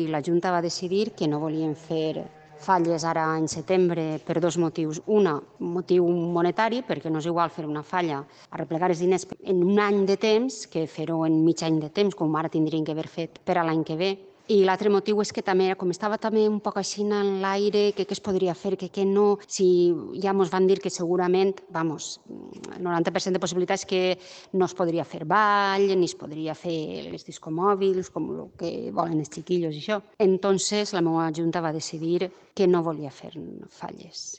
I la Junta va decidir que no volien fer falles ara en setembre per dos motius. Un motiu monetari, perquè no és igual fer una falla, arreplegar els diners en un any de temps que fer-ho en mig any de temps, com ara tindrien que haver fet per a l'any que ve. I l'altre motiu és que també, com estava també un poc així en l'aire, que què es podria fer, que no, si ja ens van dir que segurament, el 90% de possibilitats que no es podria fer ball, ni es podria fer les discomòbils, com el que volen els xiquillos i això. Entonces la meva junta va decidir que no volia fer falles.